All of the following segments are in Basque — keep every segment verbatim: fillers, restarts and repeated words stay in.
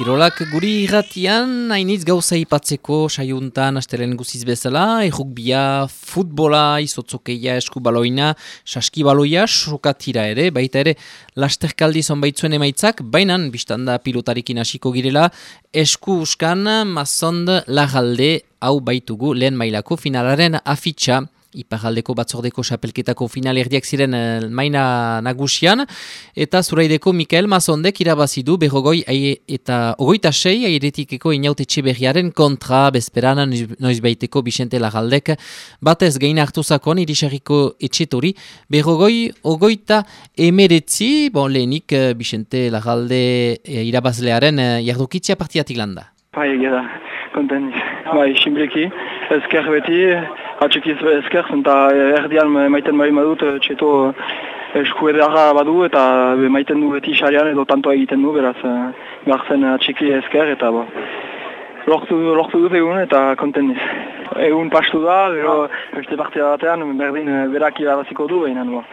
Kirolak guri irratian, hainitz gauza ipatzeko saiuntan astelen guziz bezala, errugbia, futbola, izotzokeia, eskubaloina, saskibaloia, sokatira ere, baita ere lasterkaldi zonbaitzuen emaitzak, bainan, biztanda pilotarikin hasiko girela, esku uskan, mazond lagalde, hau baitugu lehen mailako finalaren afitxa. Iparraldeko batzordeko xapelketako final erdiak ziren uh, maina nagusian, eta zuraideko Mikael Mazondek irabazi du berrogoi eta ogoita sei airetikeko inaut etxeberriaren kontra bezperan noizbaiteko Bixente Larraldek batez gain hartu zakon irisarriko etxetori berrogoi ogoita emeretzi, bon lehenik uh, Bixente Larralde uh, irabazlearen uh, jardukitzia partiatik landa. Bai, egia da, konten, bai, simpleki, ezker beti, atxekiz ezker, eta erdian maiten bari badut, txeto eskuedarra badu, eta maiten du beti xarian edo tantoa egiten du, beraz, garzen atxeki ezker, eta bo, lortu, lortu dut egun, eta konten niz. Egun pastu da, gero, beste partia batean, berdin berak irabaziko du, behinan, bo.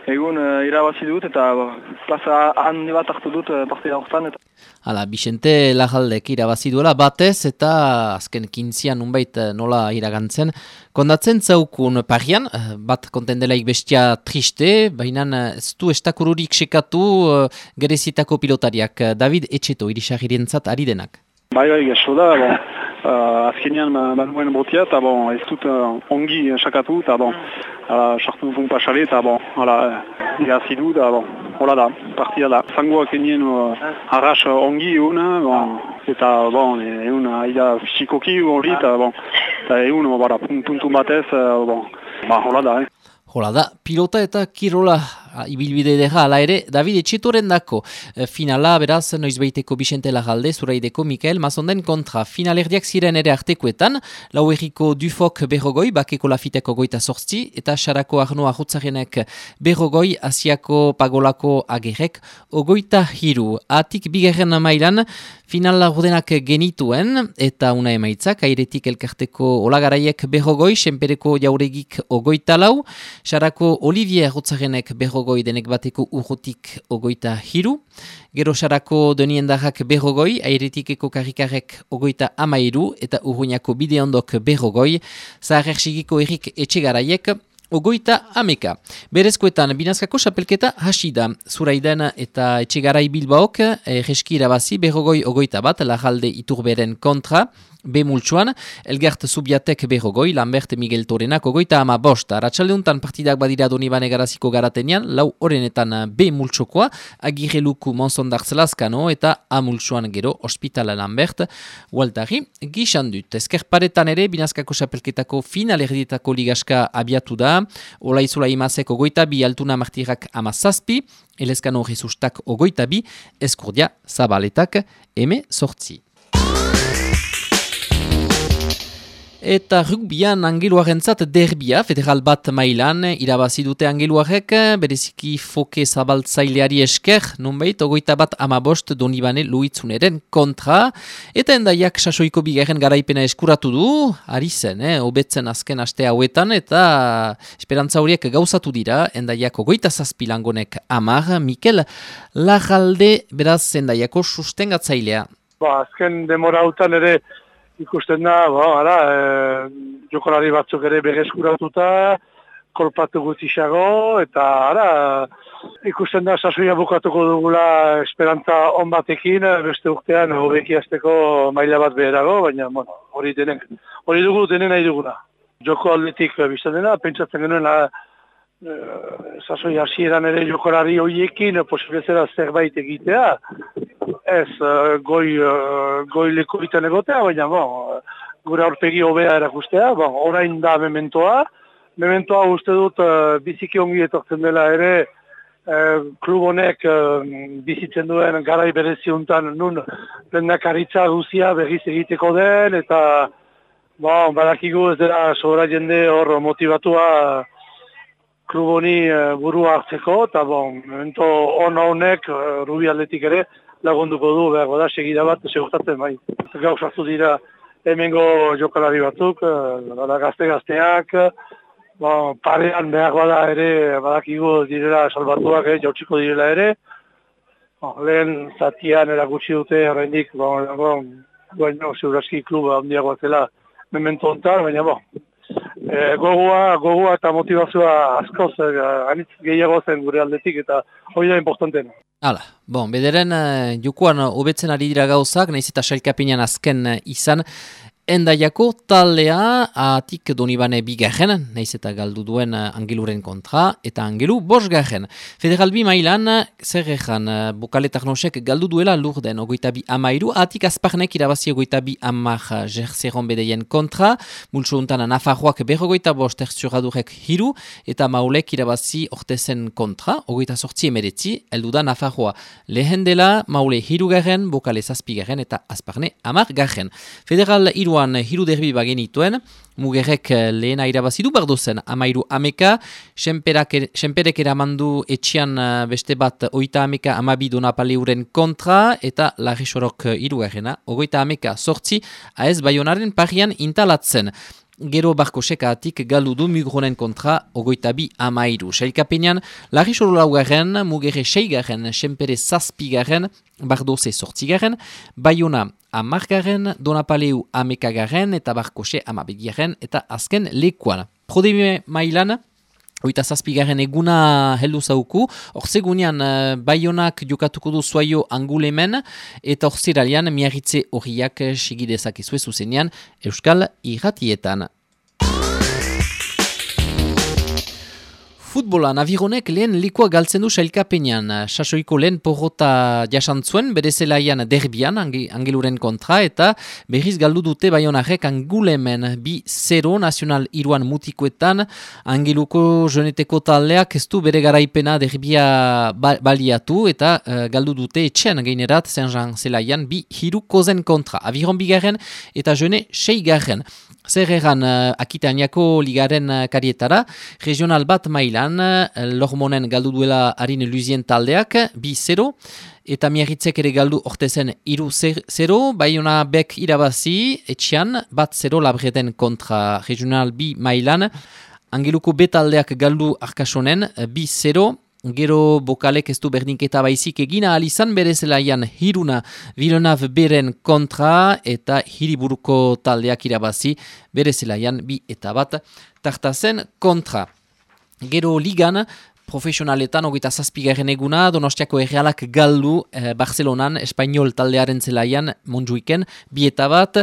Egun uh, irabazi dut eta bo, plaza handi bat hartu dut uh, partida horretan. Eta... Hala, Bixente Larraldek irabazi duela batez eta azken kintzian unbait nola iragantzen. Kondatzen zaukun parian, bat kontendelaik bestia triste, baina ez du estakururik sekatu uh, gerezitako pilotariak. David Etxeto, irisarrirentzat ari denak. Bai, bai, geso da, bon. Uh, azkenean banuen botia, eta bon, ez dut uh, ongi sakatu, eta bon, sartu dut pasale, eta bon, irazi du, eta bon, hola da, partia da. Zangoak enien uh, arras ongi egun, bon, eta bon, egun aida fisikoki hori, eta bon, eta egun, bara, puntu batez, uh, bon, ba, hola da, eh. Hola da, pilota eta kirola ibilbide dira, ala ere, David Etxetoren dako finala, beraz, noizbeiteko Bixente Larralde, zuraideko Mikael Mazonden kontra. Finalerdiak ziren ere artekoetan, lau erriko Dufok berrogoi, bakeko lafiteko goita sortzi, eta Sarako Arno Arrutzarenek berrogoi, Asiako Pagolako Agerrek, ogoita hiru. Atik bigarren mailan, final laurdenak genituen, eta una emaitzak, airetik elkarteko olagaraiek berrogoi, senpereko jauregik ogoita lau, Sarako Olivier Arrutzarenek berrogoi denek bateko urrutik ogoita hiru. Gero Sarako Doniendarrak berrogoi, airetikeko karrikarek ogoita amairu eta urruñako bideondok berrogoi. Zaharersigiko Erik Etxegaraiek ogoita ameka. Berezkoetan, binazkako xapelketa hasi da. Zuraiden eta Etxegarai Bilbaok, reski irabazi berrogoi ogoita bat, Larralde Iturberen kontra. B multsuan, Elgert Zubiatek berrogoi, Lambert Miguel Torenak ogoita ama bost. Arratxaldeuntan partidak badira Donibane garaziko garatenian, lau orenetan B multsokoa, Agirre Luku Monzondartzelazkano eta A multsuan gero Hospitala Lambert, Waltari gixandut. Ezkerparetan ere, binazkako xapelketako final erdietako ligaska abiatu da, Olaizula Imazek ogoita bi, Altuna Martirak ama zazpi, Elezkano Jesustak ogoita bi, Eskurdia Zabaletak eme sortzi. Eta rugbian angeluarentzat derbia, federal bat mailan, irabazi dute angeluarek, bereziki foke zabaltzaileari esker, nunbait, ogoita bat amabost Donibane Luitzuneren kontra, eta endaiak sasoiko bigarren garaipena eskuratu du, ari zen, eh, obetzen azken aste hauetan, eta esperantza horiek gauzatu dira, endaiak ogoita zazpilangonek amar, Mikel Larralde, beraz endaiako sustengatzailea. Ba, azken demora hautan ere, ikusten da, ba, ara, e, jokolari batzuk ere berreskuratuta, kolpatu gutixago, eta ara, ikusten da sasoia bukatuko dugula esperantza on batekin, beste urtean hobeki hasteko maila bat beherago, baina, bueno, hori denen, hori dugu denen nahi duguna. Joko aldetik biztan dena, pentsatzen genuen la, e, sasoia hasieran ere jokolari horiekin posibilizera zerbait egitea, ez, uh, goi, uh, goi lekuitan egotea, baina bon, gure aurpegi hobea erakustea, bon, orain da mementoa. Mementoa uste dut uh, biziki ongi etortzen dela ere, uh, klub honek uh, bizitzen duen garai bereziuntan nun lehendakaritza guzia berriz egiteko den, eta bon, badakigu ez dela sobra jende hor motivatua klub honi uh, burua hartzeko, eta bon, memento on honek uh, Rubi aldetik ere, lagunduko du, behar da, segida bat, segurtatzen bai. Gaur sartu dira hemengo jokalari batzuk, gazte-gazteak, bon, parean behar bada ere, badakigu direla salbatuak, eh, jautsiko direla ere. Oh, lehen zatian erakutsi dute, horrendik, bon, bon, bueno, Ziuraski kluba handiagoa zela memento hontan, baina bon, e, gogoa, gogoa eta motivazioa askoz, e, anitz gehiago zen gure aldetik, eta hori da importantena. Hala, bon, bederen uh, jokoan hobetzen ari dira gauzak, nahiz eta sailkapenean azken uh, izan, Endaiako taldea atik Donibane bigarren, nahiz eta galdu duen uh, Angeluren kontra, eta Angelu bosgarren. Federal bi mailan, zer egan, uh, Bokale Tarnosek galdu duela Lurden, ogoita bi amairu, atik Azparnek irabazi ogoita bi amar uh, Jerzeron bedeien kontra, multso untan Nafarroak berrogoita bost Erzuradurek hiru, eta Maulek irabazi ortezen kontra, ogoita sortzi emeretzi, eldu da Nafarroa. Lehen dela, Maule hirugarren, Bokale zazpigarren, eta Azparne amargarren. Federal hiru hiru derbi bagenituen, Mugerrek lehena irabazidu bardozen, amairu ameka, Senperek eramandu etxian beste bat oita ameka amabi Donapaleuren kontra, eta Larrisorok hirugarrena, ogoita ameka sortzi, aez Baionaren parian intalatzen. Gero Barkosekatik galdu du Mugronen kontra ogoita bi amairu. Sailkapenean, Larrisoro laugarren, Mugerre seigarren, Senpere zazpigarren, Bardoze sortzigaren, Baiona amargarren, Donapaleu amekagaren eta Barkose amabegaren eta azken lekuan. Prodeme mailan, oita zazpigarren eguna heldu zauku, orzegunean uh, Baionak jokatuko du Zuaio Angulemen eta orzeralian miarritze horiak sigidezak izue zuzenean Euskal Irratietan. Futbolan, Avironek lehen likua galtzen du sailkapenean. Sasoiko lehen porrota jasantzuen, bere zelaian derbian, Angeluren kontra, eta berriz galdu dute Baionarek Angulemen bi zero nazional iruan mutikoetan. Angeluko joneteko taldeak ez du bere garaipena derbia baliatu, eta uh, galdu dute etxean gainerat Saint-Jean zelaian bi hiru kozen kontra. Aviron bigarren eta jone seigarren. Zer egan uh, Akitaniako ligaren uh, karietara, regional bat mailan, uh, Lormonen galdu duela harin Luzien taldeak, bi zero, eta Miarritzek ere galdu ortezen iru zero, Baiona bek irabazi, etxian, bat zero labreden kontra regional bi mailan, Angeluko B taldeak galdu Arkasonen, bi zero, Gero Bokalek ez du berdinketa baizik egina alizan bere zelaian hiruna Villeneuve beren kontra eta hiriburuko taldeak irabazi bere zelaian bi eta bat tartazen kontra. Gero ligan, profesionaletan hogeita zazpigarren eguna, Donostiako Errealak galdu eh, Barcelonan, Espainol taldearen zelaian Montjuiken, bi eta bat,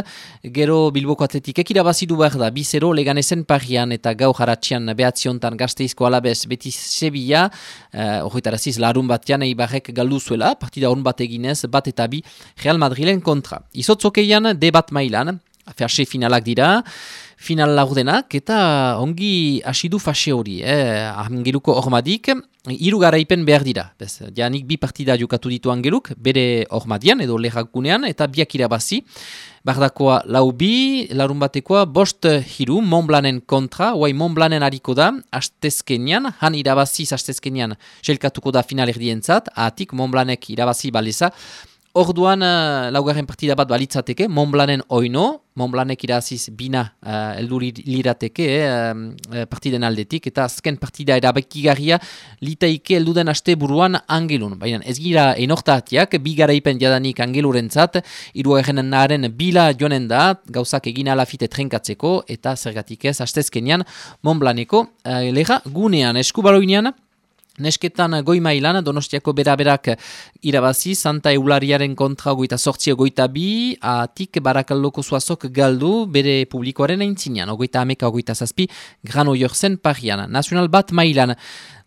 gero Bilboko Atletikek irabazidu behar da, bi zero Leganezen parian eta gau jaratxian behatziontan Gasteizko Alabez beti Sevilla, horretaraziz eh, larun batean Eibarrek galdu zuela, partida hon bat eginez, bat eta bi Real Madrilen kontra. Izotzokeian, de bat mailan, fase finalak dira, final laurdenak, eta ongi asidu fase hori, eh? Angeluko hormadik, hiru garaipen behar dira. Bez, janik bi partida jokatu ditu Angeluk, bere hormadian edo lehakunean, eta biak irabazi. Bardakoa lau bi, larun batekoa, bost hiru, Montblanen kontra, oai Montblanen hariko da, astezkenian, han irabaziz astezkenian, selkatuko da final erdientzat, atik Montblanek irabazi baleza. Orduan, uh, laugarren partida bat balitzateke, Montblanen oino, Montblanek iraziz bina uh, eldu lirateke eh, partiden aldetik, eta azken partida erabekigarria litaike elduden aste buruan Angelun. Baina ez gira enortatiak, bi garaipen jadanik Angelurentzat, hirugarren naren bila jonen da, gauzak egin alafite trenkatzeko, eta zergatik ez, astezkenian Montblaneko uh, lega gunean, eskubaloinean, Nesketan goi mailan, Donostiako beraberak irabazi, Santa Eulariaren kontra goita sortzi goita bi, atik Barakaldoko Zuazok galdu bere publikoaren aintzinean, ogoita ameka ogoita zazpi, Grano Jorzen parian. Nacional bat mailan,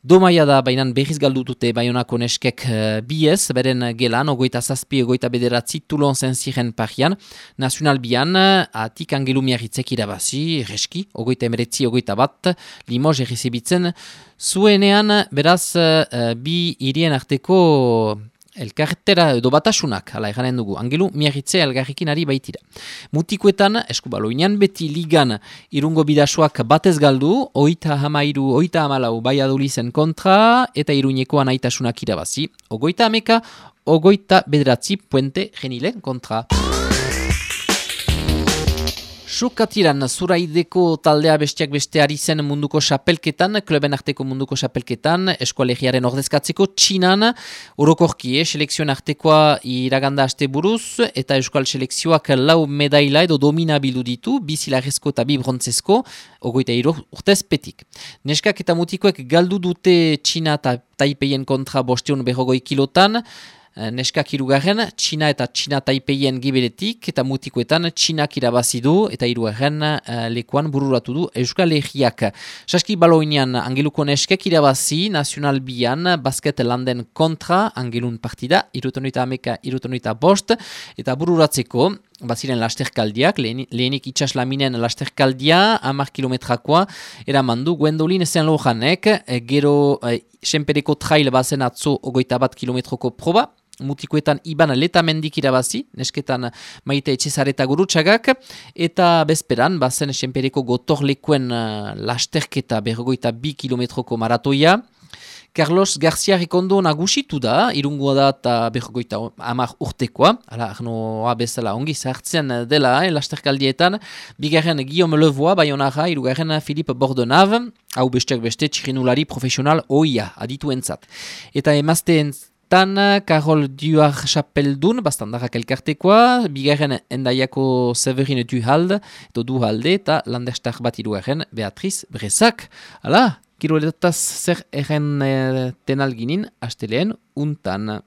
Domaia da, bainan berriz galdu dute Baionako neskek uh, biez, beren gelan, ogoita zazpi, ogoita bederatzi, Toulon zenziren parian. Nacional bian, atik Angelu Miarritzek irabazi, reski, ogoita emeretzi, ogoita bat, Limoges errezibitzen, zuenean, beraz, uh, bi hirien arteko elkarretera edo batasunak, ala eranen dugu, Angelu Miarritze elgarrekin ari baitira. Mutikoetan, eskubaloinean beti ligan irungo bidasoak batez galdu, oita hamairu, oita hamalau Baiadulizen kontra, eta iruñekoan aitasunak irabazi, ogoita ameka, ogoita bederatzi Puente Genilen kontra. Sukatiran, Zuraideko taldea besteak beste ari zen munduko xapelketan, kluben arteko munduko xapelketan, eskualegiaren ordezkatzeko Txinan, orokorki, eh, selekzioen artekoa iraganda aste buruz, eta euskal selekzioak lau medaila edo domina bildu ditu, bi zilarrezko eta bi brontzesko, ogoita hiru urtez petik. Neskak eta mutikoek galdu dute Txina eta Taipeien kontra bosteun berrogoi kilotan, neskak hirugarren, Txina eta Txina Taipeien giberetik, eta mutikoetan Txinak irabazi du, eta hirugarren uh, lekuan bururatu du Euskal Herriak. Saski baloinean Angeluko neskek irabazi, Nazional Bian, basket landen kontra, Angelun partida, irutonuita ameka, irutonuita bost, eta bururatzeko, baziren lasterkaldiak, lehen, lehenik itxaslaminen lasterkaldia, hamar kilometrakoa, eramandu, Gwendolyn Saint-Laurentnek, gero eh, senpereko trail bazen atzo ogoita bat kilometroko proba, mutikoetan Iban Letamendik irabazi, nesketan Maite Etxezareta Gurutxagak, eta bezperan, bazen senpereko gotorlekuen uh, lasterketa berrogoita bi kilometroko maratoia, Carlos Garcia Rekondo nagusitu da, irungoa da eta berrogoita hamar urtekoa, ala arnoa bezala ongi zartzen dela, eh, lasterkaldietan, bigarren Guillaume Levoa, Bayonara, irugarren Philippe Bordenave, hau besteak beste txirinulari profesional oia, adituentzat. Eta emazteen Tan, Karol Duar Chapeldun, bastandarrak elkartekoa, bigarren endaiako Severin Duhalde, edo Duhalde, eta landestar bat irugarren Beatriz Brezak. Hala, kiroletaz zer erren eh, tenalginin, asteleen untan.